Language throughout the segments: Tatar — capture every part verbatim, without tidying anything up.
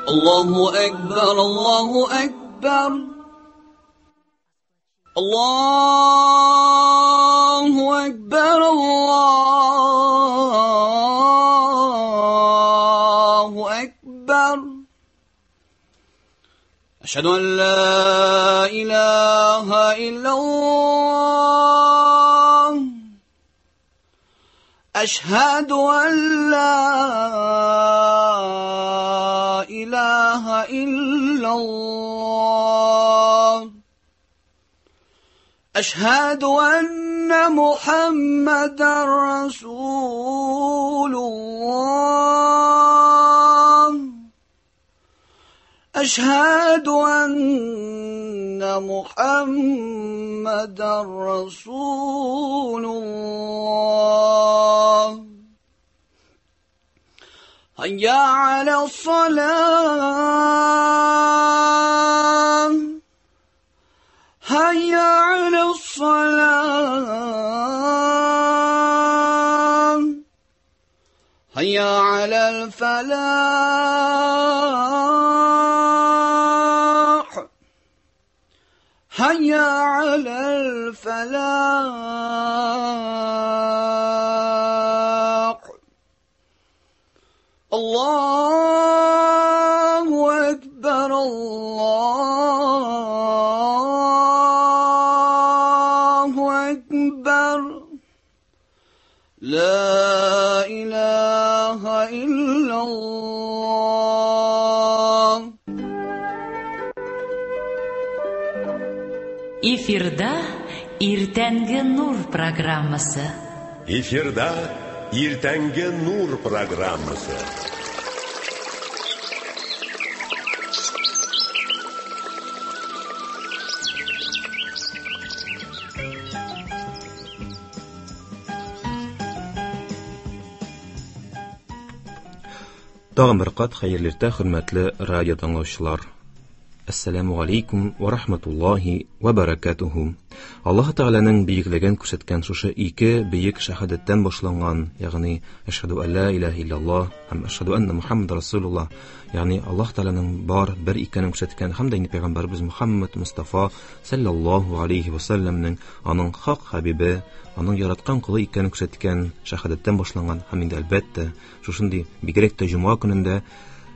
الله أكبر الله أكبر الله أكبر الله أكبر أشهد أن لا إله إلا الله أشهد أن لا إله إلا الله أشهد أن محمدا رسول الله أشهد أن محمدا رسول الله هيا على الصلاة هيا على الصلاة هيا على الفلاح هيا على الفلاح الله أكبر الله أكبر لا إله إلا الله. Эфирда Иртәнге Нур программасы. Эфирда Иртәнге Нур программасы. Тагын бер кат хәерле иртә, хөрмәтле радио тыңлаучылар. Ассаламу алейкум ва рахматуллахи ва баракатуху. Аллаһ Тәгаләнең бөеклеген күрсәткән шушы ике бөек шәһадәттән башланган, ягъни әшһәду ан ла илаһа илляллаһ һәм әшһәду анна Мухаммад расулуллаһ, ягъни Аллаһ Тәгаләнең бар бер икәнен күрсәткән һәм дә инде пәйгамбәрбез Мухаммад Мустафа саллаллаһу алейхи ва салламның аның хак хабибе, аның яраткан колы икәнен күрсәткән шәһадәттән башланган һәм инде әлбәттә шушындый бигрәк тә җомга көнендә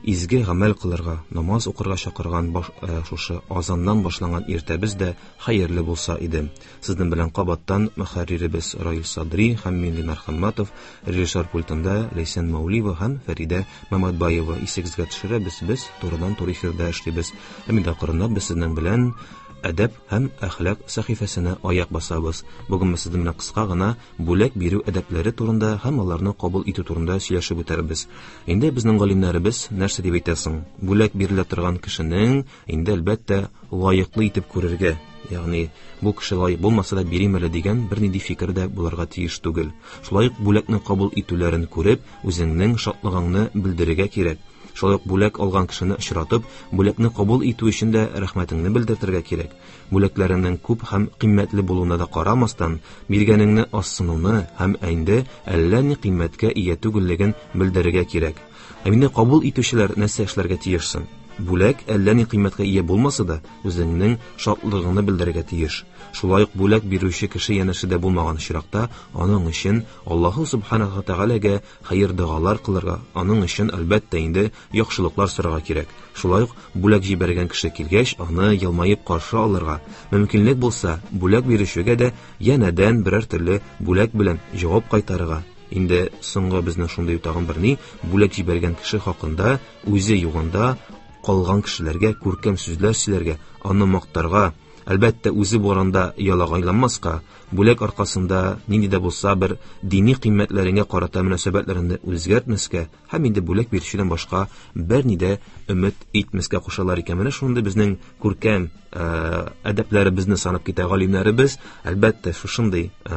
изге гамәл кылырга, намаз укырга чакырган баш, ә, шушы азаннан башланган иртәбез дә хәерле булса иде. Сезнең белән кабаттан мөхәрриребез Раил Садри һәм мин Ленар Хамматов, режиссер пультында Ләйсән Маулиева һәм Фәридә Маматбаева. Исегезгә төшерәбез, без турыдан-туры эфирда эшлибез. Һәм инде акрынлап без сезнең белән әдәп һәм әхлак сәхифәсенә аяк басабыз. Бүген без сезнең белән кыска гына бүләк бирү әдәпләре турында һәм аларны кабул итү турында сөйләшеп үтәрбез. Инде безнең галимнәребез нәрсә дип әйтәсең? Бүләк бирелә торган кешенең инде әлбәттә лаеклы итеп күрергә, ягъни бу кеше лаек булмаса да бирим әле дигән бернинди фикер дә булырга тиеш түгел. Шулай ук бүләкне кабул итүләрен күреп, үзеңнең шатлыгыңны белдерергә кирәк. Шулай ук бүләк алган кешене очратып, бүләкне кабул итү өчен дә рәхмәтеңне белдертергә кирәк. Бүләкләреңнең күп һәм кыйммәтле булуына да карамастан, биргәнеңне азсынуны һәм инде әллә ни кыйммәткә ия түгеллеген белдерергә кирәк. Ә инде кабул итүчеләр нәрсә эшләргә тиешсең? Бүләк әллә ни кыйммәткә ия булмаса да, үзеңнең шатлыгыңны белдерергә тиеш. Шулай ук бүләк бирүче кеше янәшәдә булмаган очракта, аның өчен Аллаһу субханаһу ва тәгаләгә хәер догалар кылырга, аның өчен әлбәттә инде яхшылыклар сорарга кирәк. Шулай ук бүләк җибәргән кеше килгәч, аны елмаеп каршы алырга, мөмкинлек булса, бүләк бирүчегә дә янәдән берәр төрле бүләк белән җавап кайтарырга. Инде соңгы безнең шундый тагын бер ни, бүләк җибәргән кеше хакында үзе югында калган кешеләргә күркәм сүзләр сөйләргә, аны мактарга, әлбәттә үзе барында ялагайланмаска, бүләк аркасында нинди дә булса бер дини кыйммәтләреңә карата мөнәсәбәтләреңне үзгәртмәскә һәм инде бүләк бирүчедән башка берни дә өмет итмәскә кушалар икән. Менә шундый безнең күркәм, э, әдәпләребезне санап китә галимнәребез. Әлбәттә, шушындый, э,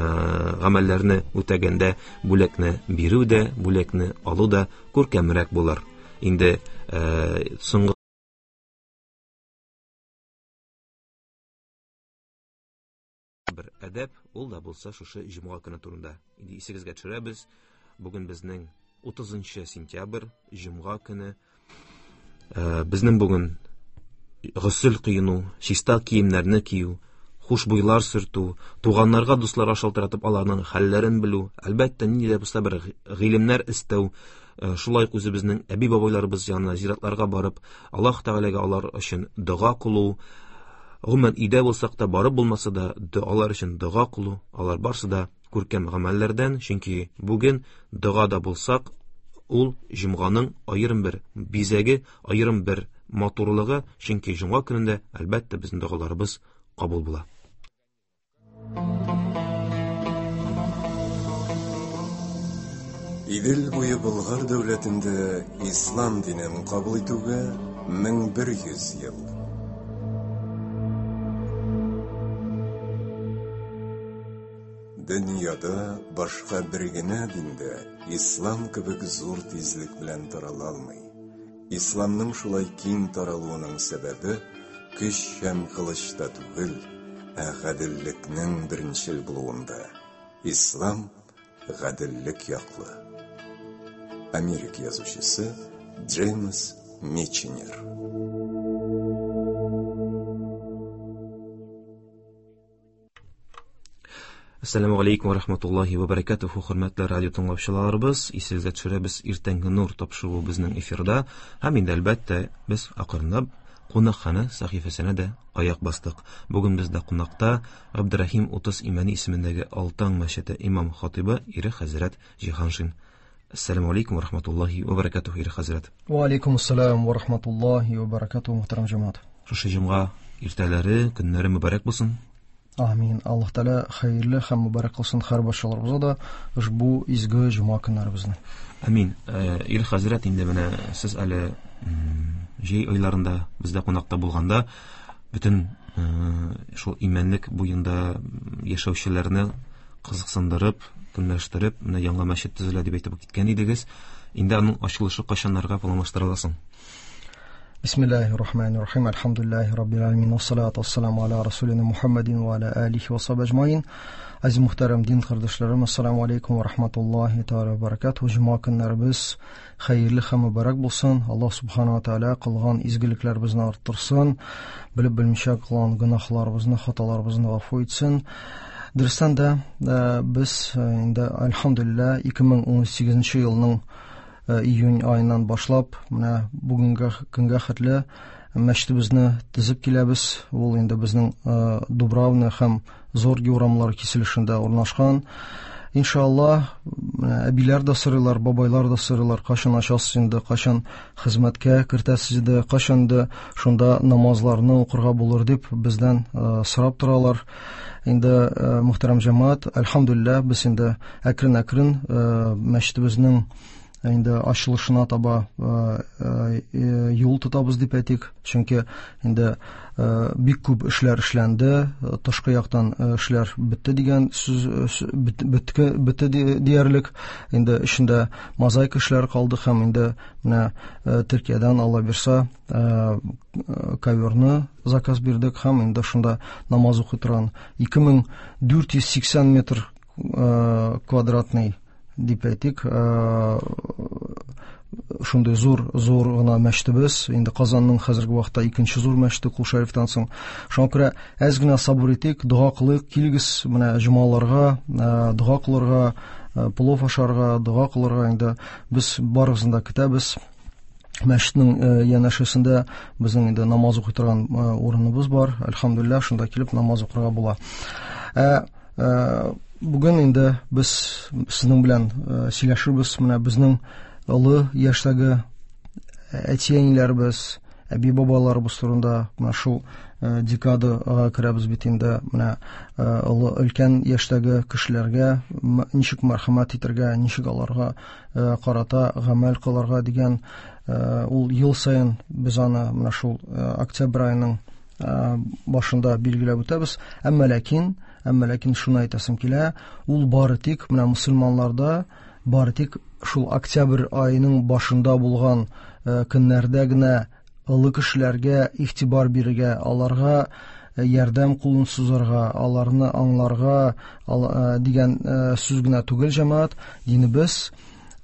гамәлләрне үтәгәндә бүләкне бирү дә, бүләкне алу да күркәмрәк булыр. Инде, э, соңгы бер әдәп, ул да булса шушы җомга көне турында. Инде исегезгә төшерәбез, бүген безнең утызынчы сентябрь, җомга көне. Безнең бүген госел кыйну, чиста киемнәрне кию, хушбуйлар сөртү, туганнарга, дусларга шалтыратып аларның хәлләрен белү, әлбәттә, нинди дә булса бер гыйлемнәр эстәү, шулай ук үзебезнең әби-бабайларыбыз янына зиратларга барып, Аллаһ Тәгаләгә алар өчен дога кылу, гомумән өйдә булсак та, барып булмаса да, алар өчен дога кылу, алар барсы да күркәм гамәлләрдән, чөнки бүген дога да булсак, ул җомганың аерым бер бизәге, аерым бер матурлыгы, чөнки җомга көнендә әлбәттә безнең догаларыбыз кабул була. Идел буе Болгар дәүләтендә ислам динен кабул итүгә мең бер йөз ел. Дөньяда башка бер генә диндә ислам кебек зур тизлек белән тарала алмый. Исламның шулай киң таралуының сәбәбе көч һәм кылычта түгел, ә гаделлекнең беренчел булуында. Ислам гаделлек яклы. Америка язучысы Джеймс Миченер. Ассаламу алейкум ва рахматуллахи ва баракатуху, хөрмәтле радио тыңлаучыларыбыз, исегезгә төшерәбез, иртәнге нур тапшыруы безнең эфирда, һәм инде әлбәттә без акрынлап кунакхана сәхифәсенә дә аяк бастык. Бүген бездә кунакта Абдурахим Утыз Имәни исемендәге Алтан мәчете имам хатибы Ирек хәзрәт Җиһаншин. Ассаламу алейкум ва рахматуллахи ва баракатуху, Ирек хәзрәт. Ва алейкум ассалам ва рахматуллахи ва баракатуху, мөхтәрәм җәмәгать. Шушы җомга иртәләре, көннәре мөбарәк булсын. Амин. Аллаһ Тәгалә хәерле һәм мөбарәк кылсын һәр барчаларыбызга да ошбу изге җомга көннәребезне. Амин. Ирек хәзрәт, инде менә сез әле җәй айларында бездә кунакта булганда бөтен шул имәнлек буенда яшәүчеләрне кызыксындырып, көнләштереп, менә яңа мәчет төзелә дип әйтеп киткән идегез. Инде аның ачылышы кайчаннарга планлаштырыла соң? Бисмиллахир-рахманир-рахим. Альхамдулиллахи раббил аламин. Вассалату вассаламу аля расулина Мухаммадин ва аля алихи ва сахбихи ажмаин. Азиз мөхтәрәм дин кардәшләрем, ассаламу алейкум ва рахматуллахи тааля ва баракатуху. Җомга көннәребез хәерле һәм мөбарәк булсын. Аллаһ субхана ва тааля кылган изгелекләребезне арттырсын, белеп белмичә кылган гөнаһларыбызны, хаталарыбызны гафу итсен. Дөрестән дә, без инде альхамдулилла ике мең ун сигезенче елның июнь айыннан башлап, менә бүгенге көнгә хәтле мәчетебезне төзеп киләбез. Ул инде безнең Дубравна һәм Зорги урамлары киселешендә урнашкан. Иншалла, әбиләр дә сорыйлар, бабайлар да сорыйлар, кайчан ачасыз инде, кайчан хезмәткә кертәсез инде, кайчан инде шунда намазларны укырга булыр дип бездән сорап торалар. Инде мөхтәрәм җәмәгать, альхамдулилла, без инде әкрен-әкрен мәчетебезнең инде ачылышына таба юл тотабыз дип әйтик, чөнки инде бик күп эшләр эшләнде, тышкы яктан эшләр бетте дигән сүз бетте, бетте диярлек. Инде эчендә мозаика эшләре калды һәм инде менә Төркиядән Алла бирсә коверны заказ бирдек һәм инде шунда намаз укый торган ике мең дүрт йөз сиксән метр квадратный дип әйтик, шундый зур, зур гына мәчетебез. Инде Казанның хәзерге вакытта икенче зур мәчете Кол Шәрифтән соң. Шуңа күрә әз генә сабыр итик, дога кылыйк, килегез менә җомгаларга, дога кылырга, плов ашарга, дога кылырга. Инде без барыгызны да көтәбез. Мәчетнең янәшәсендә безнең инде намаз укый торган урыныбыз бар. Альхамдулилла, шунда килеп намаз укырга була. Ә бүген инде без сезнең белән сөйләшербез. Менә безнең олы яшьтәге әти-әниләребез, әби-бабаларыбыз турында менә шул декадага керәбез бит инде. Менә олы өлкән яшьтәге кешеләргә ничек мәрхәмәт итәргә, ничек аларга карата гамәл кылырга дигән, ул ел саен без аны менә шул октябрь аеның башында билгеләп үтәбез. Әмма ләкин, әмма ләкин шуны әйтәсем килә, ул бары тик менә мөселманнарда бары тик шул октябрь аеның башында булган көннәрдә генә олы кешеләргә игътибар бирергә, аларга ярдәм кулын сузарга, аларны аңларга дигән сүз генә түгел, җәмәгать. Динебез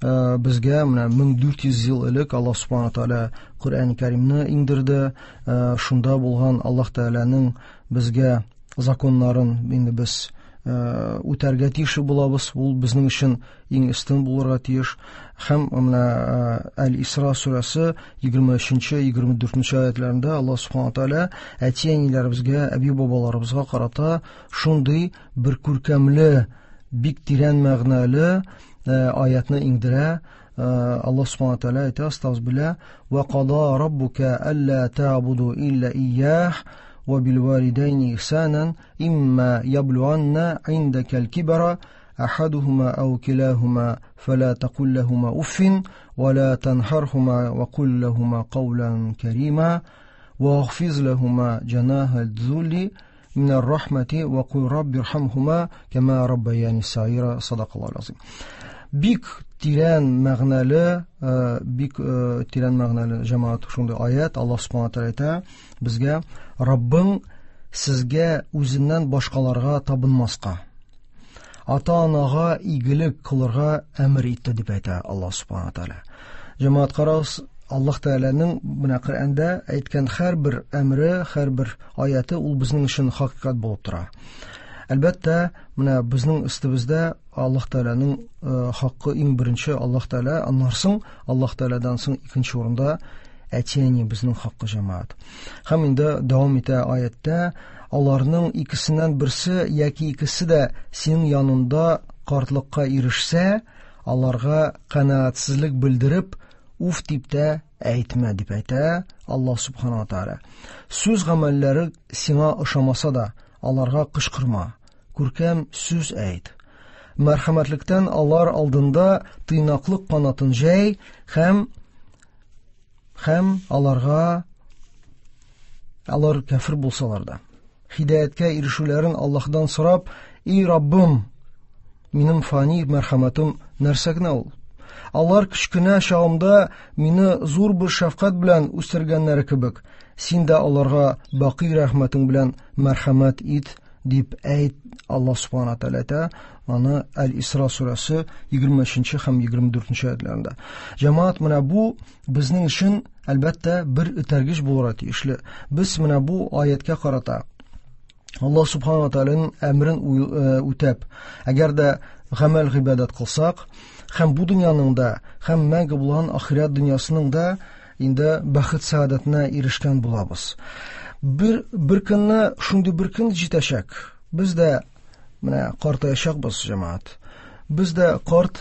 безгә менә мең дүрт йөз ел элек Аллаһ субхана тааля Коръән Кәримне иңдерде. Шунда булган Аллаһ Тәгаләнең безгә законнарын инде без үтәргә тиеш булабыз. Ул безнең өчен иң өстен булырга тиеш. Һәм менә Әл-Исра сүрәсе егерме өченче, егерме дүртенче аятларында Аллаһ субхана тааля әти-әниләребезгә, әби-бабаларыбызга карата шундый бер күркәмле, бик тирән мәгънәле аятны иңдерә. Аллаһ субхана тааля әйтә: "Астагфирулла ва када раббука алла та'буду илля ияһ وبالوالدين إحسانا إما يبلغن عندك الكبر أحدهما أو كلاهما فلا تقل لهما أف ولا تنهرهما وقل لهما قولا كريما واخفض لهما جناح الذل من الرحمة وقل رب ارحمهما كما ربياني صغيرا. صدق الله العظيم. Бик тирән мәгънәле, бик тирән мәгънәле җәмәгать шундый аят. Аллаһ субхана тааля әйтә безгә: Раббың сезгә үзеннән башкаларга табынмаска, ата-анага игелек кылырга әмер итте дип әйтә Аллаһ субхана тааля. Җәмәгать, карагыз, Аллаһ Тәгаләнең менә Коръәндә әйткән һәрбер әмре, һәрбер аяты ул безнең өчен хакыйкать булып тора. Әлбәттә, менә безнең өстебездә Аллаһ Тәгаләнең хакы иң беренче Аллаһ Тәгалә, аннан соң Аллаһ Тәгаләдән соң икенче урында әти-әни безнең хакы, җәмәгать. Һәм инде дәвам итә аяттә: аларның икесеннән берсе яки икесе дә синең янында картлыкка ирешсә, аларга канәгатьсезлек белдереп, уф дип тә әйтмә дип әйтә Аллаһ субхана ва тааля. Сүз гамәлләре сиңа ошамаса да, аларга кычкырма, күркәм сүз әйт. Мәрхәмәтлектән алар алдында тыйнаклык канатын җәй һәм һәм аларга, алар кәфер булсалар да, һидаяткә ирешүләрен Аллаһдан сорап: "И Раббым, минем фани мәрхәмәтем нәрсә генә ул? Алар кечкенә чагымда мине зур бер шәфкать белән үстергәннәре кебек, син дә аларга бакый рәхмәтең белән мәрхәмәт ит" дип әйт. Аллаһ субхана тааля әйтә аны Әл-Исра сүрәсе егерме өченче һәм егерме дүртенче аятларында. Җәмәгать, менә бу безнең өчен әлбәттә бер этәргеч булырга тиешле. Без менә бу аяткә карата Аллаһ субхана тааляның әмрен үтәп, әгәр дә гамәл гыйбадәт кылсак, һәм бу дөньяның да, һәм мәңге булган ахирәт дөньясының да инде бәхет сәгадәтенә ирешкән булабыз. Бер, бер көнне шундый бер көн җитәчәк. Без дә менә картаячакбыз, җәмәгать. Без дә карт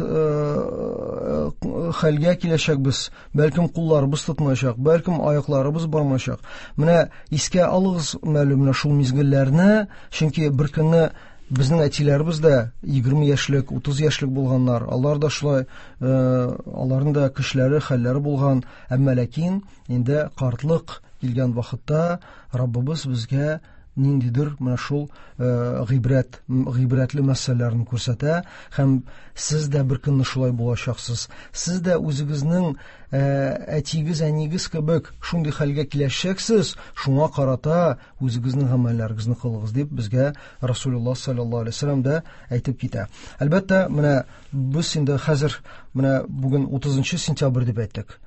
хәлгә киләчәкбез. Бәлкем кулларыбыз тотмаячак, бәлкем аякларыбыз бармаячак. Менә искә алыгыз мәле менә шул мизгелләрне, чөнки бер көнне безнең әтиләребез дә егерме яшьлек, утыз яшьлек булганнар. Алар да шулай, аларның да көчләре, хәлләре булган. Әмма ләкин инде картлык килгән вакытта Раббыбыз безгә ниндидер менә шул гыйбрәт, гыйбрәтле мәсьәләләрне күрсәтә, һәм сез дә бер көнне шулай булачаксыз. Сез дә үзегезнең әтигез, әнигез кебек шундый хәлгә киләчәксез, шуңа карата үзегезнең гамәлләрегезне кылыгыз дип безгә Расулуллаһ саллаллаһу алейһи ва сәлләм дә әйтеп китә. Әлбәттә, менә без инде хәзер менә бүген утызынчы сентябрь дип әйттек.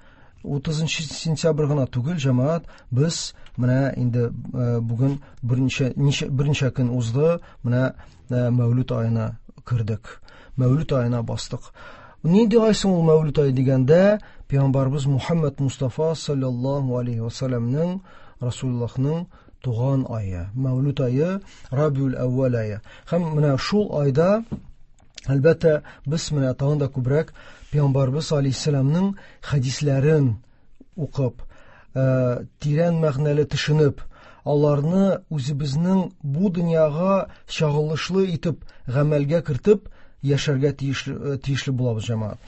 Утызынчы сентябрь гына түгел, җәмәгать, без менә инде бүген берничә, ничә, берничә көн узды, менә Мәүлүд аена кердек. Мәүлүд аена бастык. Нинди ай соң ул Мәүлүд ае дигәндә, Пәйгамбәрбез Мухаммад Мустафа саллаллаһу алейһи ва сәлләмнең, Расулуллаһның туган ае, Мәүлүд ае, Рабиул Әүвәл ае. Һәм менә шул айда әлбәттә без менә тагын да күбрәк Пәйгамбәрбез алейһиссәламнең хәдисләрен укып, тирән мәгънәле төшенеп, аларны үзебезнең бу дөньяга чагылышлы итеп гамәлгә кертеп яшәргә тиешле, тиешле булабыз, җәмәгать.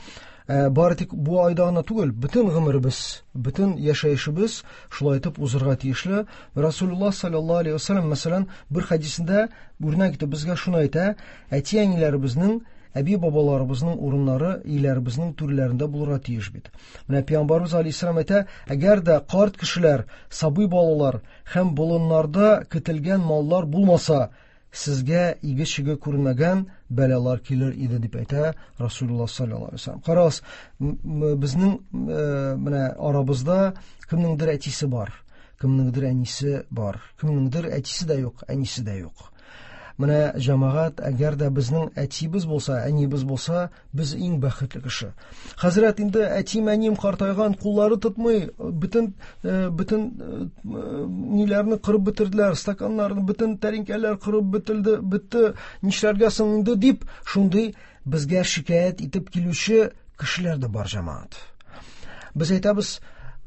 Бары тик бу айда гына түгел, бөтен гомеребез, бөтен яшәешебез шулай итеп узырга тиешле. Расулуллаһ саллаллаһу алейһи ва сәлләм, мәсәлән, бер хәдисендә үрнәк итеп безгә шуны әйтә: әти-әниләребезнең, әби-бабаларыбызның урыннары өйләребезнең түрләрендә булырга тиеш бит. Менә Пәйгамбәрбез алейһиссәлам әйтә: әгәр дә карт кешеләр, сабый балалар һәм болыннарда көтелгән маллар булмаса, сезгә иге-чиге күрмәгән бәлалар килер иде дип әйтә Расулуллаһ саллаллаһу алейһи ва саллям. Карагыз, безнең менә арабызда кемнеңдер әтисе бар, кемнеңдер әнисе бар, кемнеңдер әтисе дә юк, әнисе дә юк. Менә җәмәгать, әгәр дә безнең әтибез булса, әнибез булса, без иң бәхетле кеше. Хәзрәт, инде әтим, әним картайган, куллары тотмый, бөтен бөтен ниләрне кырып бетерделәр, стаканнарны, бөтен тәринкәләр кырып бетелде, бетте, нишләргә соң инде дип, шундый безгә шикаять итеп килүче кешеләр дә бар, җәмәгать. Без әйтәбез,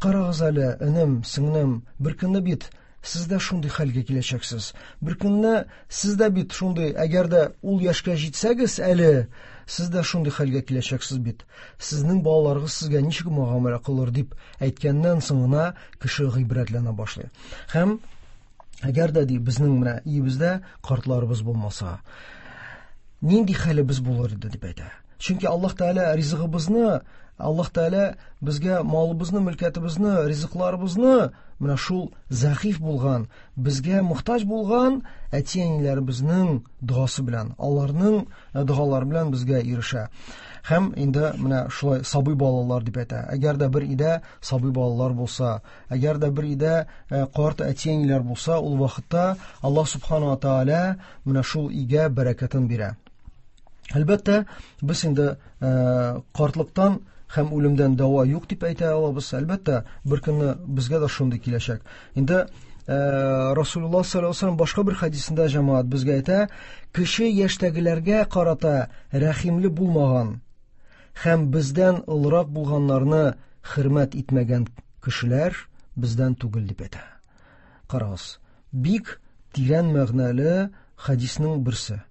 карагыз әле, энем, сеңлем, бер көнне бит сез дә шундый хәлгә киләчәксез. Бер көнне сез дә бит шундый, әгәр дә ул яшькә җитсәгез әле, сез дә шундый хәлгә киләчәксез бит. Сезнең балаларыгыз сезгә ничек мөгамәлә кылыр дип әйткәннән соң гына кеше гыйбрәтләнә башлый. Һәм әгәр дә ди безнең менә өебездә картларыбыз булмаса, нинди хәлебез булыр иде дип әйтә. Чөнки Аллаһ Тәгалә ризыгыбызны, Аллаһ Тәгалә безгә малыбызны, мөлкәтебезне, ризыкларыбызны менә шул зәгыйф булган, безгә мохтаҗ булган әти-әниләребезнең догасы белән, аларның догалары белән безгә ирешә. Һәм инде менә шулай сабый балалар дип әйтә. Әгәр дә бер өйдә сабый балалар булса, әгәр дә бер өйдә карт әти-әниләр булса, ул вакытта Аллаһ Субхану ва Тааля менә шул өйгә бәрәкәтен бирә. Әлбәттә, без инде картлыктан һәм үлемдән дәва юк дип әйтә алабыз. Әлбәттә, бер көнне безгә дә шундый киләчәк. Инде Расулуллаһ саллаллаһу алейһи ва саллям башка бер хәдисендә җәмәгать безгә әйтә, кеше яшьтәгеләргә карата рәхимле булмаган һәм бездән олырак булганнарны хөрмәт итмәгән кешеләр бездән түгел дип әйтә. Карагыз, бик тирән мәгънәле хәдиснең берсе.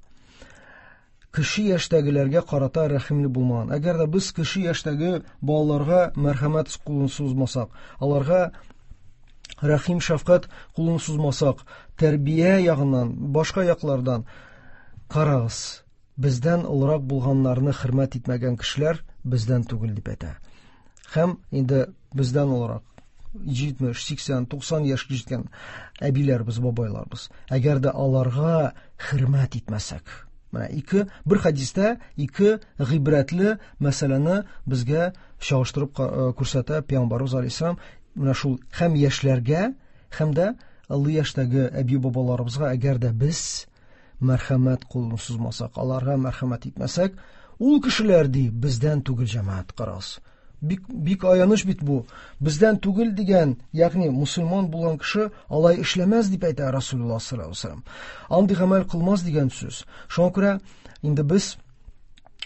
Кеше яшьтәгеләргә карата рәхимле булмаган. Әгәр дә без кеше яшьтәге балаларга мәрхәмәт кулын сузмасак, аларга рәхим шәфкать кулын сузмасак, тәрбия ягыннан, башка яклардан карагыз, бездән олырак булганнарны хөрмәт итмәгән кешеләр бездән түгел дип әйтә. Һәм инде бездән олырак җитмеш, сиксән, туксан яшькә җиткән әбиләрбез, бабайларбыз. Әгәр дә аларга хөрмәт итмәсәк, менә ике, бер хәдистә ике гыйбрәтле мәсьәләне безгә чагыштырып күрсәтә Пәйгамбәребез алейһиссалам. Менә шул һәм яшьләргә, һәм дә олы яшьтәге әби-бабаларыбызга әгәр дә без мәрхәмәт кулын сузмасак, аларга мәрхәмәт итмәсәк, ул кешеләр ди бездән түгел, җәмәгать, карагыз. Бик, бик аяныч бит бу. Бездән түгел дигән, ягъни мусульман булган кеше алай эшләмәс дип әйтә Расулуллаһ саллаллаһу алейһи ва саллям. Андый гамәл кылмас дигән сүз. Шуңа күрә инде без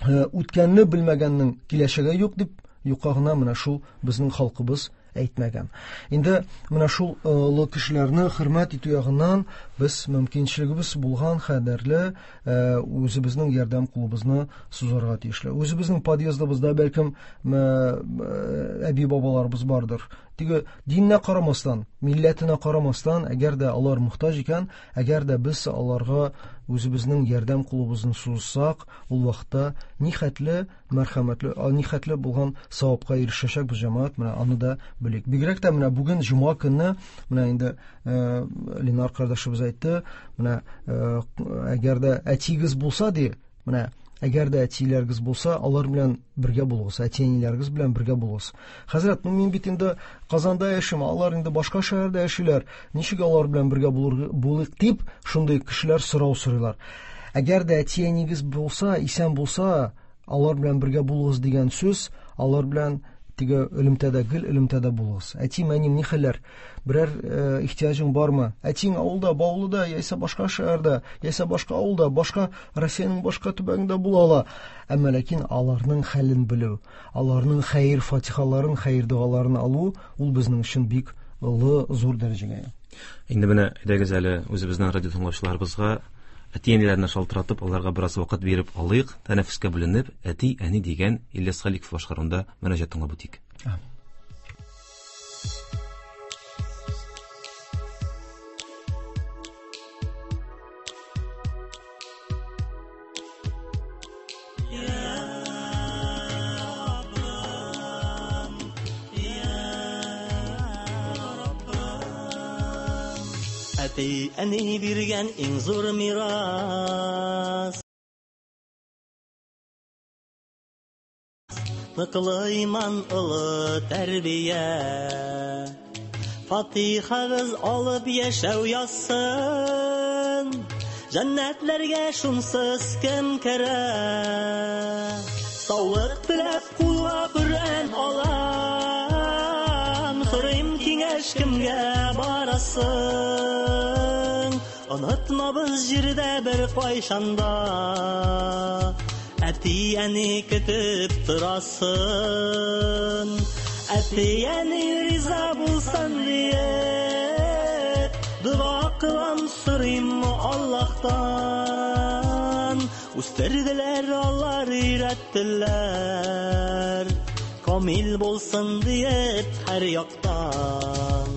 үткәнне белмәгәннең киләчәге юк дип юкка гына менә шул безнең халкыбыз әйтмәгән. Инде менә шул олы кешеләрне хөрмәт итү ягыннан без мөмкинчелегебез булган кадәрле үзебезнең ярдәм кулыбызны сузарга тиешле. Үзебезнең подъездыбызда бәлкем әби-бабаларыбыз бардыр. Теге диненә карамастан, милләтенә карамастан, әгәр дә алар мохтаҗ икән, әгәр дә без аларга үзебезнең ярдәм кулыбызны сузсак, ул вакытта нихәтле мәрхәмәтле, нихәтле булган савапка ирешәчәкбез, җәмәгать, менә аны да белик. Бигрәк тә менә бүген җомга көнне, менә инде Ленар кардәшебез әйтте, менә әгәр дә әтигез булса ди, менә әгәр дә әтиләрегез булса, алар белән бергә булыгыз, әти-әниләрегез белән бергә булыгыз. Хәзрәт, ну мин бит инде Казанда яшим, алар инде башка шәһәрдә яшиләр, ничек алар белән бергә булыйк дип, шундый кешеләр сорау сорыйлар. Әгәр дә әти-әнигез булса, исән булса, алар белән бергә булыгыз дигән сүз, алар белән теге элемтәдә, гел элемтәдә булыгыз. Әтием, әнием, ни хәлләр? Берәр ихтыяҗың бармы? Әтиң авылда, Баулыда, яисә башка шәһәрдә, яисә башка авылда, башка Россиянең башка төбәгендә була ала. Әмма ләкин аларның хәлен белү, аларның хәер фатихаларын, хәер догаларын алу, ул безнең өчен бик олы, зур дәрәҗәгә. Инде менә әйдәгез әле үзебезнең радио тыңлаучыларыбызга әти-әниләренә шалтыратып, аларга бераз вакыт биреп алыйк, тәнәфескә бүленеп, әти-әни дигән Ильяс Халиков башкаруында мөнәҗәт тыңлап үтик. Әти-әни биргән иң зур мирас. Ныклы иман, олы тәрбия. Фатихагыз алып яшәү язсын, Җәннәтләргә шунсыз кем керә? Саулык теләп кулга Коръән алам, Сорыйм киңәш кемгә барасың? Онытмабыз җирдә бер кайчанда, Әти-әни көтеп торасын. Әти-әни риза булсын диеп, Дога кылам, сорыйм Аллаһтан. Үстерделәр алар, өйрәттеләр, Камил булсын диеп һәр яктан.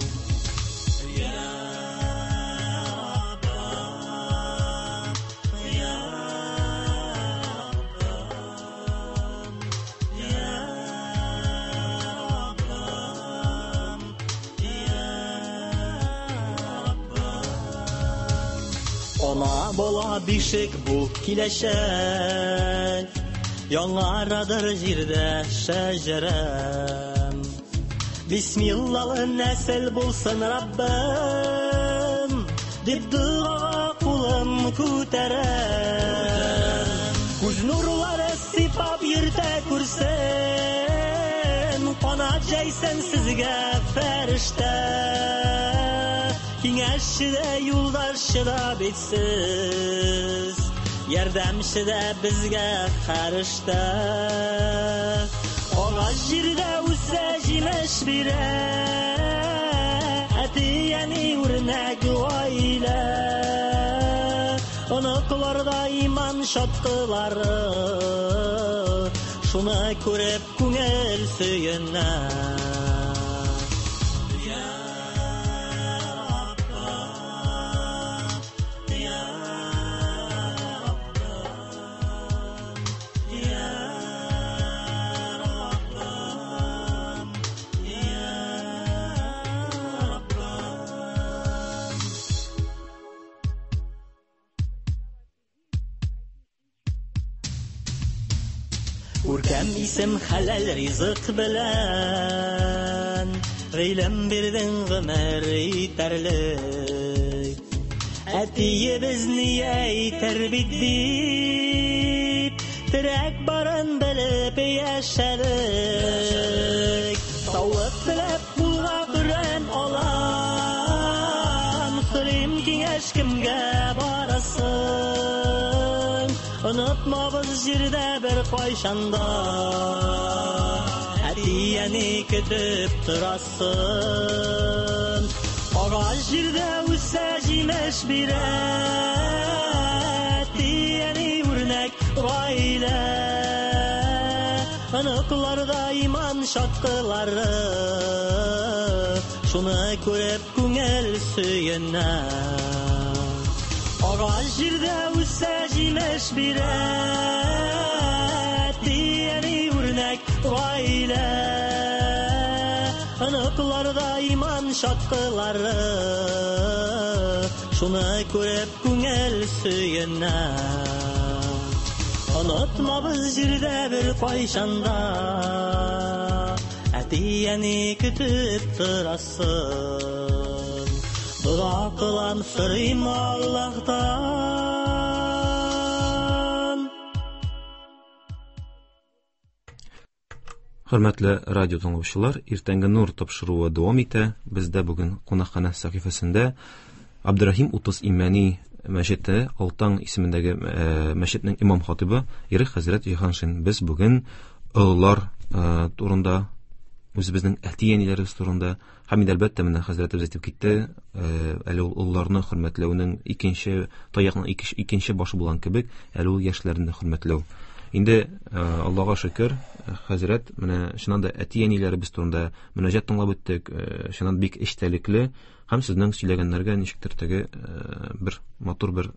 Ана бала бишек бу киләчәк, Яңарадыр җирдә шәҗәрәм. Бисмиллалы нәсел булсын Раббым, Дип догага кулым күтәрәм. Күз нурлары сипап йөртә күрсен, Канат җәйсен сезгә фәрештә. Киңәшче дә, юлдашчы да бит сез, Ярдәмче дә безгә фәрештә. Агач җирдә үсә, җимеш бирә, Әти-әни үрнәк гаилә. Оныкларда иман чаткылары, Шуны күреп күңел сөенә. Үркәм исем хәләл ризык белән, Гыйлем бирдең гомер итәрлек. Әтиебез ни әйтер бит дип, Терәк барын белеп яшәдек. Саулык теләп кулга Коръән алам, Сорыйм киңәш кемгә барасың? Онытмабыз җирдә бер кайчанда, Әти-әни көтеп торасын. Агач җирдә үсә, җимеш бирә, Әти-әни үрнәк гаилә. Оныкларда иман чаткылары, Шуны күреп күңел сөенә. Агач җирдә үсә, җимеш бирә, Әти-әни үрнәк гаилә. Оныкларда иман чаткылары, Шуны күреп күңел сөенә. Онытмабыз җирдә бер кайчанда, Әти-әни көтеп торасын. Дога кылам, сорыйм Аллаһтан. Хөрмәтле радио тыңлаучылар, Иртәнге нур тапшыруы дәвам итә. Бездә бүген кунакханә сәхифәсендә Абдурахим Утыз Имәни мәчете, Алтан исемендәге мәчетнең имам хатибы Ирек хәзрәт Җиһаншин. Без бүген олылар турында, үзебезнең әти-әниләребез турында һәм инде әлбәттә менә хәзрәтебез әйтеп китте, әле ул олыларны хөрмәтләүнең икенче таякның икенче башы булган кебек, әле ул яшьләрне дә хөрмәтләү. Инде Аллага шөкер, хәзрәт, менә чыннан да әти-әниләребез турында мөнәҗәт тыңлап үттек, чыннан бик эчтәлекле һәм сезнең сөйләгәннәргә ничектер теге бер матур бер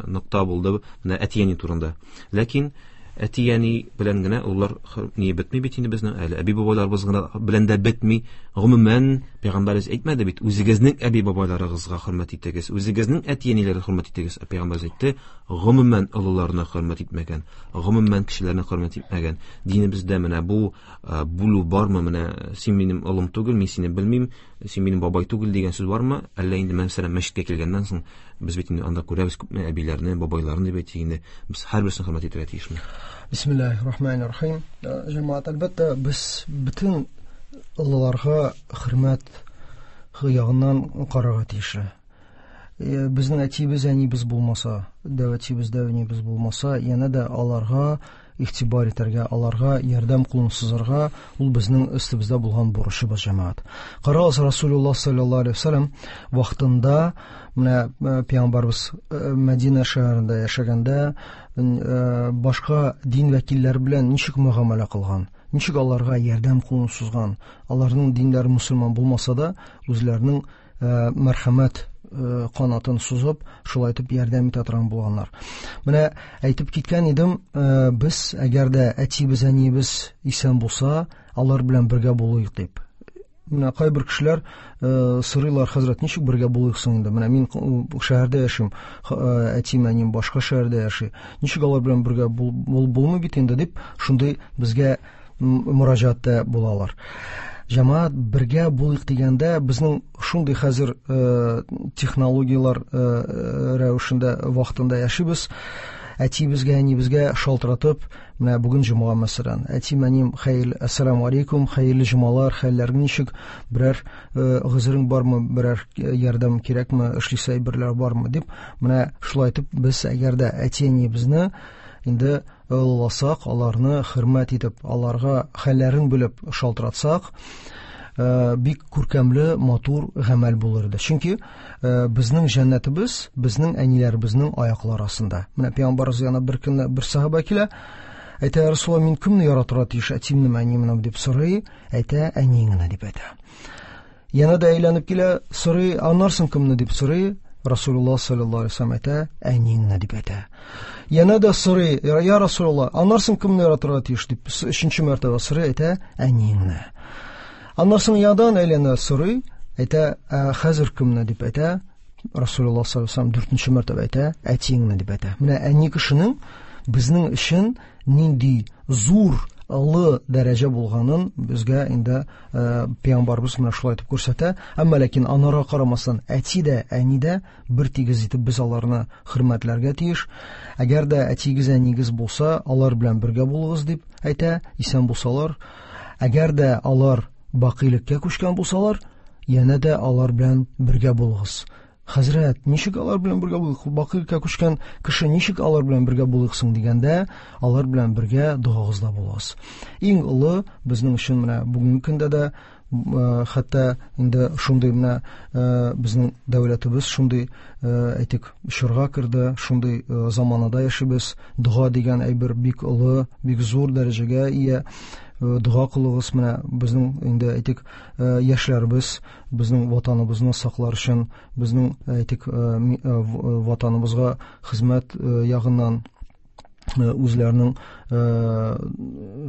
нокта булды менә әти-әни турында. Ләкин Әти-әни белән генә олылар ни бетми бит инде безнең, әле әби-бабайларыбыз гына белән дә бетми. Гомумән, пәйгамбәребез әйтмәде бит, үзегезнең әби-бабайларыгызга хөрмәт итегез, үзегезнең әти-әниләргә хөрмәт итегез. Пәйгамбәребез әйтте, гомумән олыларны хөрмәт итмәгән, гомумән кешеләрне хөрмәт итмәгән. Динебездә менә бу бүлү бармы? Менә син минем олым түгел, мин сине белмим, син минем бабай түгел дигән сүз бармы? Әллә инде мәсәлән мәчеткә килгәннән соң без бит инде анда күрәбез күпме әбиләрне, бабайларны дип әйтик инде, без һәрберсен хөрмәт итәргә тиешме? Бисмиллаһир-рахманир-рахим. Җәмәгать, әлбәттә, без бөтен олыларга хөрмәт ягыннан карарга тиешле. Безнең әтиебез, әниебез булмаса, дәү әтиебез, дәү әниебез булмаса, янә дә аларга игътибар итәргә, аларга ярдәм кулын сузарга, ул безнең өстебездә булган бурычыбыз, җәмәгать. Карагыз, Расулуллаһ саллаллаһу алейһи ва сәлләм вакытында менә пәйгамбәрбез Мәдинә шәһәрендә яшәгәндә башка дин вәкилләре белән ничек мөгамәлә кылган, ничек аларга ярдәм кулын сузган, аларның диннәре мөселман булмаса да, үзләренең мәрхәмәт канатын сузып, шулай итеп ярдәм итә торган булганнар. Менә әйтеп киткән идем, без әгәр дә әтиебез, әниебез исән булса, алар белән бергә булыйк дип. Менә кайбер кешеләр сорыйлар, хәзрәт, ничек бергә булыйк соң инде? Менә мин шәһәрдә яшим, әтием, әнием башка шәһәрдә яши. Ничек алар белән бергә булмый бит инде дип, шундый безгә мөрәҗәгатьтә булалар. Җәмәгать, бергә булыйк дигәндә, безнең шундый хәзер технологияләр рәвешендә вакытында яшибез. Әтиебезгә, әниебезгә шалтыратып, менә бүген җомга мәсәлән, әтием, әнием, хәерле, ассаламу алейкум, хәерле җомгалар, хәлләрең ничек, берәр гозерең бармы, берәр ярдәм кирәкме, эшлисе әйберләр бармы дип, менә шулай итеп без әгәр дә әти-әниебезне инде олыласак, аларны хөрмәт итеп, аларга хәлләрен белеп шалтыратсак, бик күркәмле, матур гамәл булыр иде. Чөнки безнең җәннәтебез безнең әниләребезнең аяклары астында. Менә пәйгамбәребез янына бер көнне бер сахаба килә, әйтә, Расулуллаһ, мин кемне яратырга тиеш, әтиемнеме, әниемнеме дип сорый, әйтә, әниеңне дип әйтә. Яна да әйләнеп килә, сорый, аннан кемне дип сорый, Расулуллаһ саллаллаһу алейһи ва сәлләм әйтә, әниеңне дип әйтә. Яна да сорый, я Расулуллаһ, аннан кемне яратырга тиеш дип өченче мәртәбә сорый, әйтә, әниеңне. Аннан соң ядан әйләнә сорый, әйтә, хәзер кемне дип әйтә, Расулуллаһ саллаллаһу алейһи ва сәлләм дүртенче мәртәбә әйтә, әтиеңне дип әйтә. Менә әни кешенең безнең өчен нинди зур, олы дәрәҗә булганын безгә инде пәйгамбәребез менә шулай итеп күрсәтә. Әмма ләкин анарга карамастан әти дә, әни дә бер тигез итеп без аларны хөрмәтләргә тиеш. Әгәр дә әтигез, әнигез булса, алар белән бергә булыгыз дип әйтә, исән булсалар. Әгәр дә алар бакыйлыкка күчкән булсалар, янә дә алар белән бергә булыгыз. Хәзрәт, ничек алар белән бергә булыйк? Бакыйлыкка күчкән кеше ничек алар белән бергә булыйк соң дигәндә, алар белән бергә догагызда булыгыз. Иң олы безнең өчен менә бүгенге көндә дә, хәтта инде шундый менә безнең дәүләтебез шундый, әйтик, чорга керде, шундый заманада яшибез. Дога дигән әйбер бик олы, бик зур дәрәҗәгә ия. Дога кылыгыз, менә безнең инде әйтик, яшьләребез безнең ватаныбызны саклар өчен, безнең әйтик, ватаныбызга хезмәт ягыннан үзләренең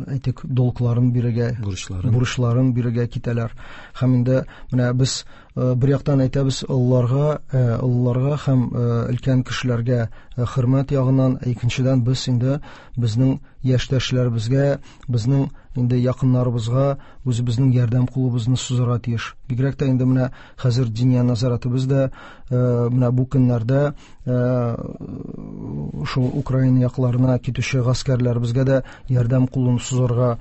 әйтик долгларын бирергә, бурычларын, бурычларын бирергә китәләр. Һәм инде менә без бер яктан әйтәбез олыларга, олыларга һәм өлкән кешеләргә хөрмәт ягыннан, икенчедән без инде безнең яшьтәшләребезгә, безнең инде якыннарыбызга үзебезнең ярдәм кулыбызны сузарга тиеш. Бигрәк тә инде менә хәзер диния назаратыбыз да менә бу көннәрдә шул Украина якларына китүче гаскәрләребезгә дә ярдәм кулын сузарга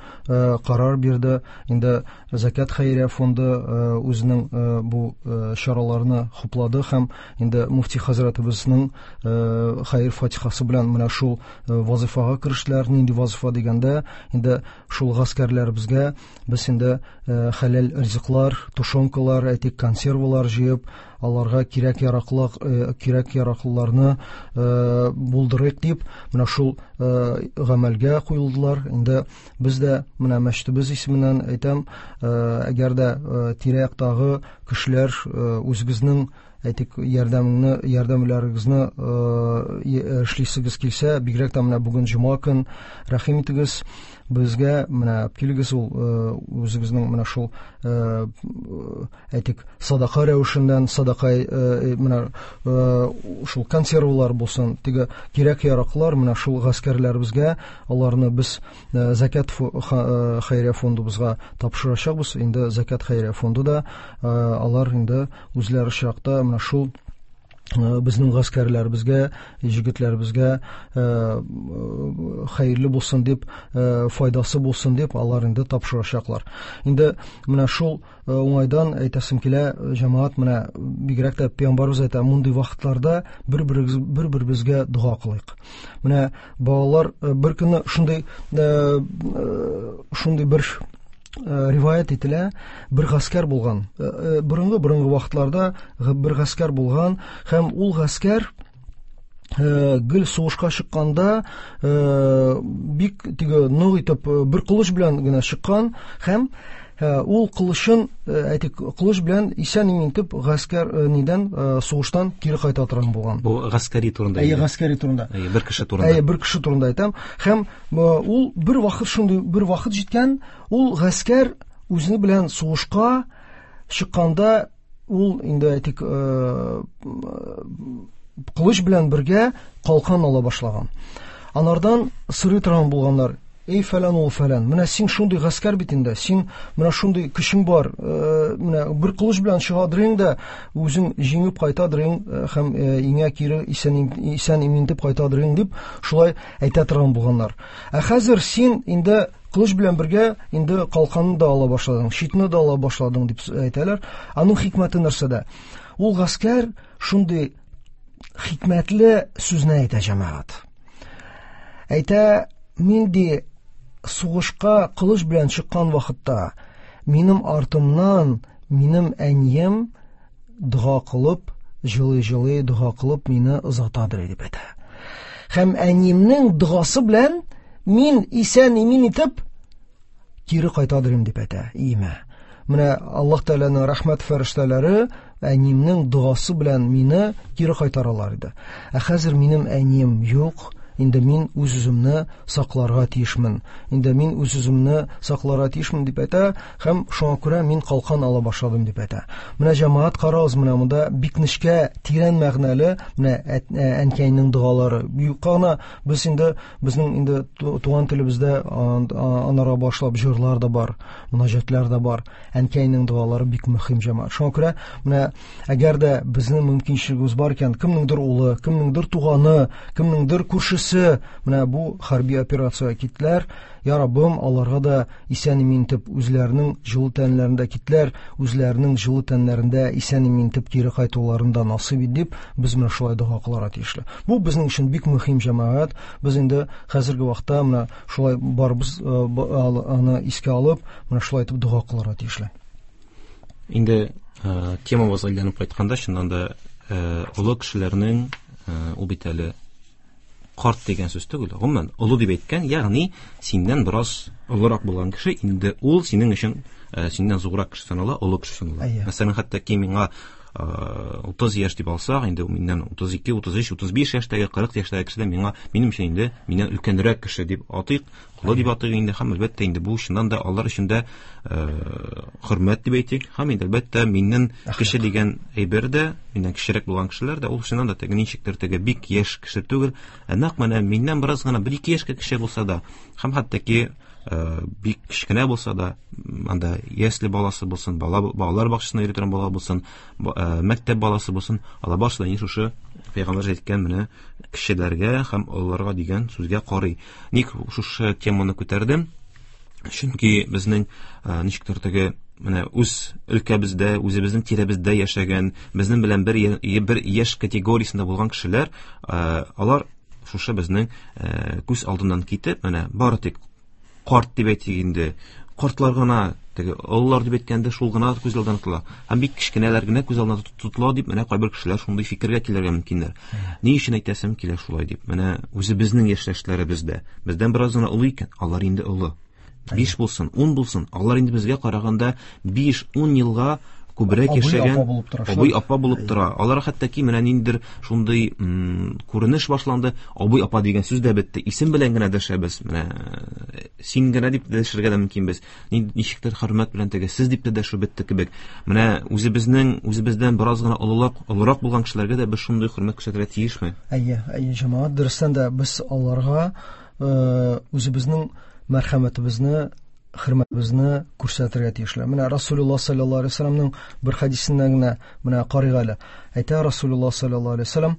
карар бирде. Инде Закат хәйрия фонды үзенең бу чараларны хуплады һәм инде муфти хәзрәтебезнең хәер фатихасы белән менә шул вазифага керештеләр. Нинди вазифа дигәндә, инде шул гаскәрләребезгә без инде хәләл ризыклар, тушенкалар, әйтик, консервалар җыеп, аларга кирәк яраклык, кирәк яраклыларны булдырыйк дип, менә шул гамәлгә бергә куелдылар. Инде без дә менә мәчетебез исеменнән әйтәм, әгәр дә тирә-яктагы кешеләр үзегезнең әйтик ярдәмне, ярдәмләрегезне эшлисегез килсә, бигрәк тә менә бүген җомга көн, рәхим итегез безгә, менә килегез ул үзегезнең менә шул әйтик садака рәвешеннән, садака менә шул консервлар булсын, теге кирәк-яраклар менә шул гаскәрләребезгә, аларны без Зәкят хәйрия фондыбызга тапшырачакбыз. Инде Зәкят хәйрия фонды да алар инде үзләре чиракта менә шул безнең гаскәрләребезгә, җегетләребезгә хәерле булсын дип, файдасы булсын дип алар инде тапшырачаклар. Инде менә шул уңайдан әйтәсем килә, җәмәгать, менә бигрәк тә пәйгамбәребез әйтә, мондый вакытларда бер-беребез, бер-беребезгә дога кылыйк. Менә балалар бер көнне шундый, шундый бер риваят ителә, бер гаскәр булган. Борынгы, борынгы вакытларда бер гаскәр булган һәм ул гаскәр гел сугышка чыкканда бик теге нык итеп бер кылыч белән генә чыккан һәм ул кылычын, әйтик, кылыч белән исән-имин итеп гаскәр нидән, сугыштан кире кайта торган булган. Бу гаскәри турында. Әйе, гаскәри турында. Әйе, бер кеше турында. Әйе, бер кеше турында әйтәм. Һәм ул бер вакыт шундый бер вакыт җиткән, ул гаскәр үзе белән сугышка чыкканда ул инде әйтик кылыч белән бергә калкан ала башлаган. Анардан сырый торган булганнар. Эй, фәлән ул фәлән, менә син шундый гаскәр бит инде, син менә шундый көчең бар, менә бер кылыч белән чыгадырың да, үзең җиңеп кайтадырың һәм иңә кире исән, исән имин дип кайтадырың дип шулай әйтә торган булганнар. Ә хәзер син инде кылыч белән бергә инде калканны да ала башладың, щитны да ала башладың дип әйтәләр. Аның хикмәте нәрсәдә? Ул гаскәр шундый хикмәтле сүзне әйтә, җәмәгать. Әйтә, мин ди сугышка кылыч белән чыккан вакытта минем артымнан минем әнием дога кылып, җылый-җылый дога кылып мине озатадыр дип әйтә. Һәм әниемнең догасы белән мин исән-имин итеп кире кайтадырым дип әйтә өемә. Менә Аллаһ Тәгаләнең рәхмәт фәрештәләре әниемнең догасы белән мине кире кайтаралар иде. Ә хәзер минем әнием юк. Инде мин үз-үземне сакларга тиешмен. Инде мин үз-үземне сакларга тиешмен дип әйтә һәм шуңа күрә мин калкан ала башладым дип әйтә. Менә җәмәгать, карагыз, менә монда бик нечкә, тирән мәгънәле менә әнкәйнең догалары. Юкка гына без инде безнең инде туган телебездә анара башлап җырлар да бар, мөнәҗәтләр дә бар. Әнкәйнең догалары бик мөһим, җәмәгать. Шуңа күрә менә әгәр дә безнең мөмкинчелегебез бар икән, кемнеңдер улы, кемнеңдер туганы, кемнеңдер күршесе менә бу хәрби операциягә киттеләр. Я Раббым, аларга да исән-имин итеп үзләренең җылы тәннәрендә киттеләр, үзләренең җылы тәннәрендә исән-имин итеп кире кайтуларын да насыйп ит дип без менә шулай дога кылырга тиешле. Бу безнең өчен бик мөһим, җәмәгать. Без инде хәзерге вакытта менә шулай барыбыз аны искә алып, менә шулай итеп дога кылырга тиешле. Инде темабызга әйләнеп кайтканда, чыннан да олы кешеләрнең ул бит әле карт дигән сүз түгел, гомумән олы дип әйткән, ягъни синнән бераз олырак булган кеше, инде ул синең өчен синнән зуррак кеше санала, олы кеше санала. Мәсәлән, хәтта ки миңа утыз яшь дип алсак, инде миннән утыз ике, утыз өч, утыз биш яшьтәге, кырык яшьтәге кеше дә миңа, минем өчен инде миннән өлкәнрәк кеше дип атыйк, олы дип атыйк инде, һәм әлбәттә инде бу чыннан да алар өчен дә хөрмәт дип әйтик, һәм инде әлбәттә миннән кеше дигән әйбер дә, миннән кечерәк булган кешеләр дә ул чыннан да теге ничектер теге бик яшь кеше түгел, ә нәкъ менә миннән бераз гына бер ике яшькә кече булса да, һәм хәтта ки бик кечкенә булса да, анда ясле баласы булсын, бала, балалар бакчасына йөри торган бала булсын, мәктәп баласы булсын, алар барысы да инде шушы пәйгамбәр әйткән менә кешеләргә һәм олыларга дигән сүзгә карый. Ник шушы теманы күтәрдем? Чөнки безнең ничектер теге менә үз өлкәбездә, үзебезнең тирәбездә яшәгән, безнең белән бер бер яшь категориясендә булган кешеләр, алар шушы безнең күз алдыннан китеп, менә бары тик карт дип әйтик инде, картлар гына, теге олылар дип әйткәндә шул гына күз алдына тотыла. Һәм бик кечкенәләр генә күз алдына тотыла дип менә кайбер кешеләр шундый фикергә килергә мөмкиннәр. Ни өчен әйтәсем килә шулай дип? Менә үзебезнең яшьтәшләребез дә бездән бераз гына олы икән, алар инде олы. Биш булсын, ун булсын, алар инде безгә караганда биш-ун елга күбрәк яшәгән абый апа булып тора. Алар хәтта ки менә ниндидер шундый күренеш башланды, абый апа дигән сүз дә бетте. Исем белән генә дәшәбез. Менә син генә дип дәшергә дә мөмкинбез. Ничектер хөрмәт белән теге сез дип тә дәшү бетте кебек. Менә үзебезнең үзебездән бераз гына олылак, олырак булган кешеләргә дә без шундый хөрмәт күрсәтергә тиешме? Әйе, әйе, җәмәгать, дөрестән дә без аларга үзебезнең мәрхәмәтебезне, хөрмәтебезне күрсәтергә тиешле. Менә Расулуллаһ саллаллаһу алейһи ва сәлламның бер хәдисеннән генә менә карыйк әле. Әйтә Расулуллаһ саллаллаһу алейһи ва сәллам,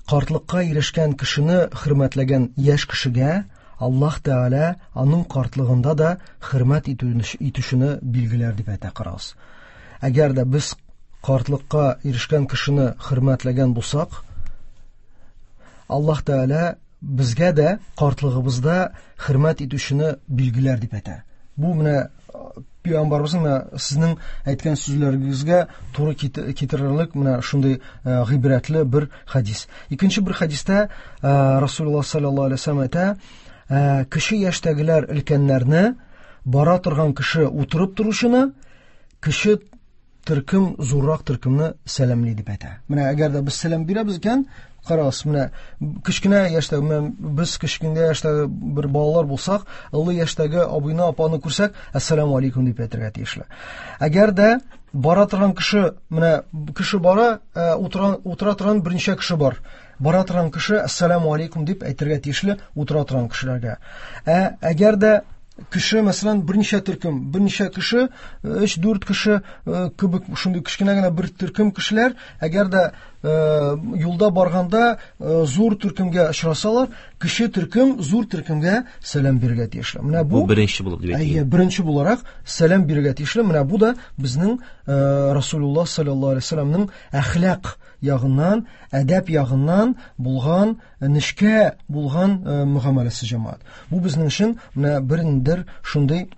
картлыкка ирешкән кешене хөрмәтләгән яшь кешегә Аллаһ Тәгалә аның картлыгында да хөрмәт итүчене билгеләр дип әйтә, карагыз. Әгәр дә без картлыкка ирешкән кешене хөрмәтләгән булсак, Аллаһ Тәгалә безгә дә картлыгыбызда хөрмәт итүчене билгеләр дип әйтә. Бу менә пәйгамбәребезнең менә сезнең әйткән сүзләрегезгә туры китерерлек менә шундый гыйбрәтле бер хәдис. Икенче бер хәдистә Расулуллаһ саллаллаһу алейһи ва сәлләм әйтә, кече яшьтәгеләр өлкәннәрне, бара торган кеше утырып торучыны, кече төркем зуррак төркемне сәламли дип әйтә. Менә әгәр дә без сәлам бирәбез икән, карагыз, менә кечкенә яшьтәге, менә без кечкенә яшьтәге бер балалар булсак, олы яшьтәге абыйны, апаны күрсәк, әссәламу алейкум дип әйтергә тиешле. Әгәр дә бара торган кеше, менә кеше бара, утыра, утыра торган берничә кеше бар. Бара торган кеше әссәламу алейкум дип әйтергә тиешле утыра торган кешеләргә. Ә әгәр дә кеше, мәсәлән, берничә төркем, берничә кеше, өч-дүрт кеше кебек шундый кечкенә генә бер төркем кешеләр, әгәр дә юлда барганда зур төркемгә очрасалар, кече төркем зур төркемгә сәлам бирергә тиешле. Менә бу, бу беренче булып дип әйтелә. Әйе, беренче буларак сәлам бирергә тиешле. Менә бу да безнең Расулуллаһ саллаллаһу алейһи ва сәлламның әхлак ягыннан, әдәп ягыннан булган, нечкә булган мөгамәләсе, җәмәгать. Бу безнең өчен менә берендер шундый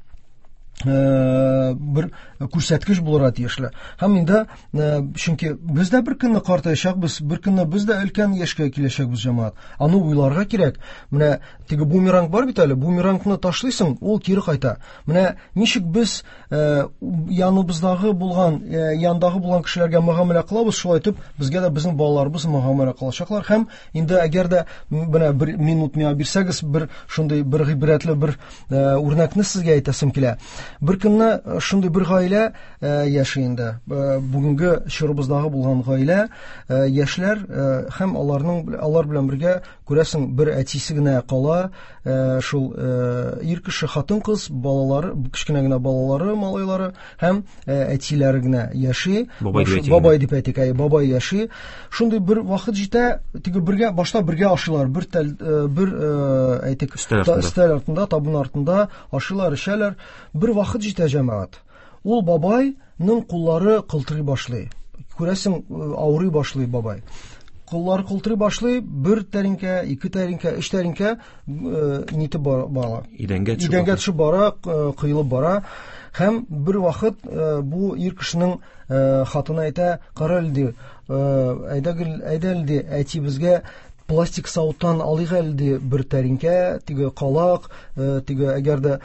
бер күрсәткеч булырга тиешле. Һәм инде, чөнки без дә бер көнне картаячакбыз, бер көнне без дә өлкән яшькә киләчәкбез, җәмәгать. Аны уйларга кирәк. Менә теге бумеранг бар бит әле, бумерангны ташлыйсың, ул кире кайта. Менә ничек без яныбыздагы булган, яндагы булган кешеләргә мөгамәлә кылабыз, шулай итеп безгә дә безнең балаларыбыз мөгамәлә кылачаклар. Һәм инде әгәр дә менә бер минут миңа бирсәгез, бер шундый бер гыйбрәтле бер үрнәкне сезгә әйтәсем килә. Бер көнне шундый бер гаилә яши инде. Бүгенге чорыбыздагы булган гаилә, яшьләр һәм аларның, алар белән бергә күрәсең бер әтисе генә кала, шул ир кеше, хатын-кыз, балалары, кечкенә генә балалары, малайлары һәм әтиләре генә яши. Бабай дип әйтик, әй, бабай яши. Шундый бер вакыт җитә, теге бергә, башта бергә ашыйлар, бер тәл, бер әйтик, өстәл артында, табын артында ашыйлар, эчәләр. Бер вакыт җитә, җәмәгать. Ул бабайның куллары кылтырый башлый. Күрәсең, авырый башлый бабай. Куллары кылтырый башлый, бер тәринкә, ике тәринкә, өч тәринкә нитеп бара. Идәнгә төшеп, идәнгә төшеп бара, коелып бара. Һәм бер вакыт бу ир кешенең хатыны әйтә, кара әле ди, әйдә, әйдә әле ди, әти безгә пластик савыттан алыйк әле ди бер тәринкә, теге калак, теге әгәр дә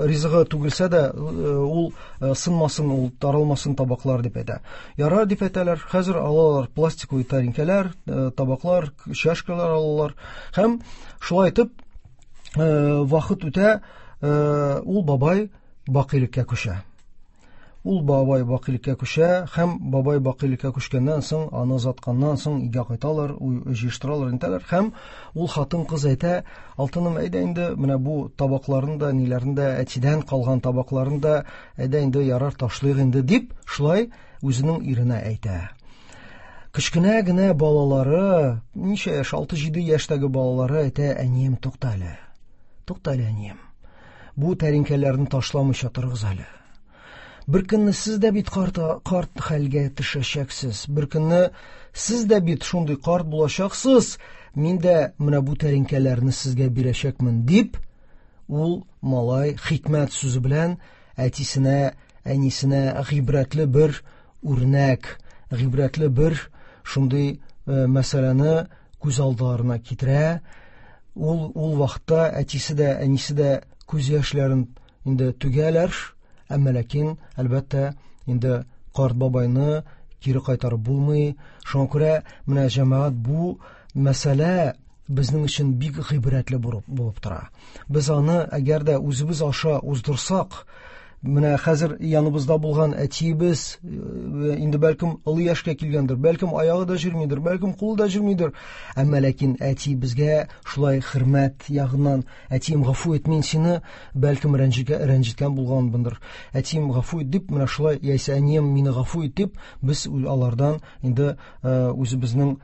ризыгы түгелсә дә, ул сынмасын, ул таралмасын табаклар дип әйтә. Ярар дип әйтәләр. Хәзер алалар пластиковый тәринкәләр, табаклар, чашкалар алалар. Һәм шулай итеп вакыт үтә, ул бабай бакыйлыкка күчә. Ул бабай бакыйлыкка күчә, һәм бабай бакыйлыкка күчкәннән соң, аны озатканнан соң өйгә кайталар, җыештыралар, нитәләр. Һәм ул хатын-кыз әйтә, алтыным, әйдә инде, менә бу табакларын да, ниләрен дә, әтидән калган табакларын да, әйдә инде, ярар, ташлыйк инде, дип шулай үзенең иренә әйтә. Кечкенә генә балалары, ничә яшь, алты-җиде яшьтәге балалары әйтә, әнием, тукта әле, тукта әле, әнием, бу тәринкәләрне ташламыйча торыгыз әле. Бер көнне сез дә бит карт, карт хәлгә төшәчәксез. Бер көнне сез дә бит шундый карт булачаксыз. Мин дә менә бу тәринкәләрне сезгә бирәчәкмен, дип ул малай хикмәт сүзе белән әтисенә, әнисенә гыйбрәтле бер үрнәк, гыйбрәтле бер шундый мәсьәләне күз алдарына китерә. Ул, ул вакытта әтисе дә, әнисе дә күз яшьләрен инде түгәләр, әмма ләкин, әлбәттә, инде карт бабайны кире кайтарып булмый. Шуңа күрә менә җәмәгать бу мәсьәлә безнең өчен бик гыйбрәтле булып тора. Без аны әгәр дә үзебез аша уздырсак, менә хәзер яныбызда булган әтиебез инде бәлкем олы яшькә килгәндер, бәлкем аягы да җөрмидер, бәлкем кулы да җөрмидер, әмма ләкин әтиебезгә шулай хөрмәт ягыннан, әтием гафу ит, мин сине бәлкем рәнҗеткән булганмындыр, әтием гафу ит дип, менә шулай, яисә әнием мине гафу ит дип, без алардан инде үзебезнең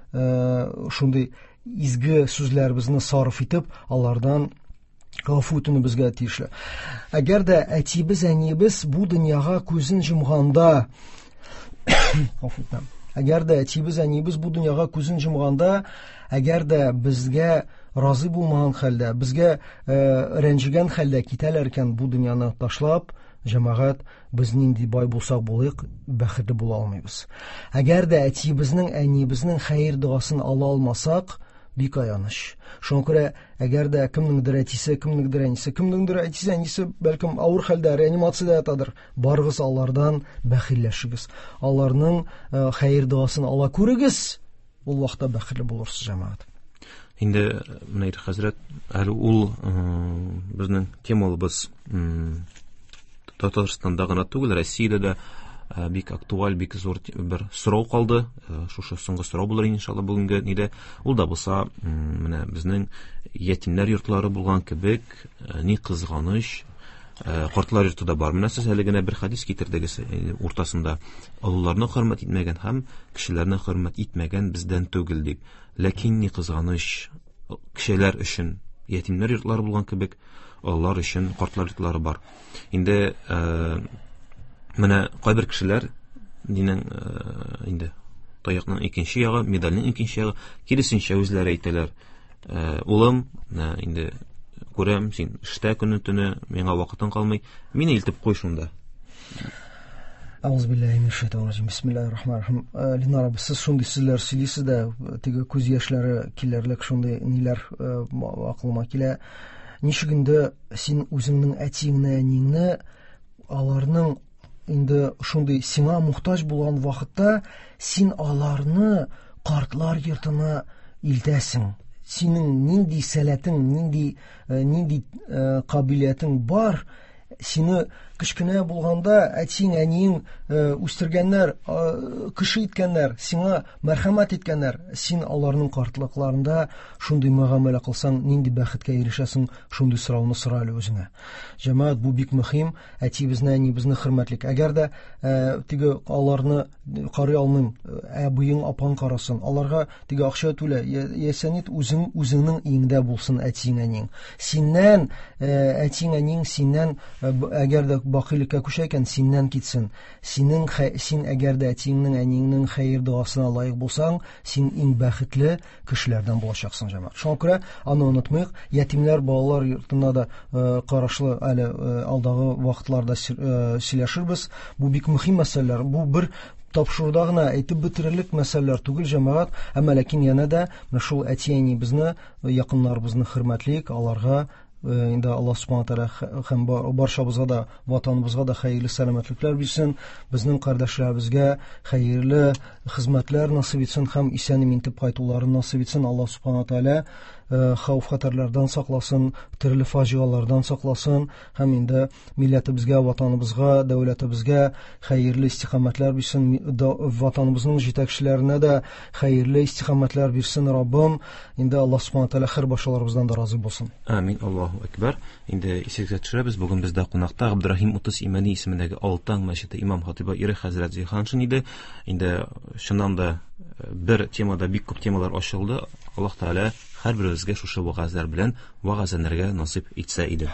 шундый изге сүзләребезне сарыф итеп, алардан гафу үтенүебезгә тиешле. Әгәр дә әтиебез, әниебез бу дөньяга күзен йомганда, гафу итәм. Әгәр дә әтиебез, әниебез бу дөньяга күзен йомганда, әгәр дә безгә разый булмаган хәлдә, безгә рәнҗегән хәлдә китәләр икән бу дөньяны ташлап, җәмәгать, без нинди бай булсак булыйк, бәхетле була алмыйбыз. Әгәр дә әтиебезнең, әниебезнең хәер догасын ала алмасак, бик аяныч. Шуңа күрә, әгәр дә кемнеңдер әтисе, кемнеңдер әнисе, кемнеңдер әтисе, әнисе бәлкем авыр хәлдә, реанимациядә ятадыр, барыгыз алардан бәхилләшегез. Аларның хәер догасын ала күрегез, ул вакытта бәхетле булырсыз, җәмәгать. Инде менә хәзрәт, әле ул безнең темалыбыз Татарстанда гына түгел, Россиядә дә бик актуаль, бик зур бер сорау калды. Шушы соңгы сорау булыр иншалла бүгенге нидә. Ул да булса, менә безнең ятимнәр йортлары булган кебек, ни кызганыч, картлар йорты да бар. Менә сез әле генә бер хадис китердегез, уртасында олыларны хөрмәт итмәгән һәм кешеләрне хөрмәт итмәгән бездән түгел дип. Ләкин ни кызганыч, кешеләр өчен ятимнәр йортлары булган кебек, олылар өчен картлар йортлары бар. Инде менә кайбер кешеләр динең инде таякның икенче ягы, медальнең икенче ягы, киресенчә үзләре әйтәләр. Улым, инде күрәм, син эштә көне төне, миңа вакытың калмый, мине илтеп куй шунда. Әгъузу биллаһи минәш шайтанир раҗим. Бисмиллаһир рахманир рахим. Ленар абый, сез шундый сүзләр сөйлисез дә, теге күз яшьләре килерлек шундый ниләр акылыма килә. Ничек инде син үзеңнең әтиеңне, әниеңне, аларның инде шундый сиңа мохтаҗ булган вакытта син аларны картлар йортына илтәсең. Синең нинди сәләтең, нинди, нинди кабилиятең бар, сине кечкенә булганда әтиң, әниең үстергәннәр, кеше иткәннәр, сиңа мәрхәмәт иткәннәр. Син аларның картлыкларында шундый мөгамәлә кылсаң, нинди бәхеткә ирешәсең, шундый сорауны сора әле үзеңә. Җәмәгать, бу бик мөһим, әтиебезне, әниебезне хөрмәтлик. Әгәр дә теге аларны карый алмыйм, әбиең, апаң карасын, аларга теге акча түлә, яисә нит, үзең, үзеңнең иңдә булсын әтиең, әниең. Синнән, әтиең, әниең синнән, әгәр дә бакыйлыкка күчә икән, синнән китсен. Синең, син әгәр дә әтиеңнең, әниеңнең хәер догасына лаек булсаң, син иң бәхетле кешеләрдән булачаксың, җәмәгать. Шуңа күрә аны онытмыйк. Ятимнәр балалар йортына да карашлы әле алдагы вакытларда сөйләшербез. Бу бик мөһим мәсьәләләр. Бу бер тапшыруда гына әйтеп бетерерлек мәсьәләләр түгел, җәмәгать. Әмма ләкин янә дә менә шул әти-әниебезне, якыннарыбызны хөрмәтлик, аларга инде Аллаһ субхана тааля һәм барчабызга да, ватаныбызга да хәерле сәламәтлекләр бирсен, безнең кардәшләребезгә хәерле хезмәтләр насыйп итсен һәм исән-имин итеп кайтуларын насыйп итсен. Аллаһ субхана тааля хәвеф-хәтәрләрдән сакласын, төрле фаҗигалардан сакласын һәм инде милләтебезгә, ватаныбызга, дәүләтебезгә хәерле истиқамәтләр бирсен, ватаныбызның җитәкчеләренә дә хәерле истиқамәтләр бирсен Раббым. Инде Аллаһ субхана тааля һәр башаларыбыздан да разый булсын. Амин. Аллаһу акбар. Инде исегезгә төшерәбез, бүген бездә кунакта Габдрахим Утыз Имәни исемендәге Алтан мәчете имам хатибы Ирек хәзрәт Зиһаншин иде. Инде чыннан да бер темада бик күп темалар ачылды. Аллаһ Тааля һәрберебезгә шушы вәгазьләр белән вәгазьләнергә насыйп итсә иде.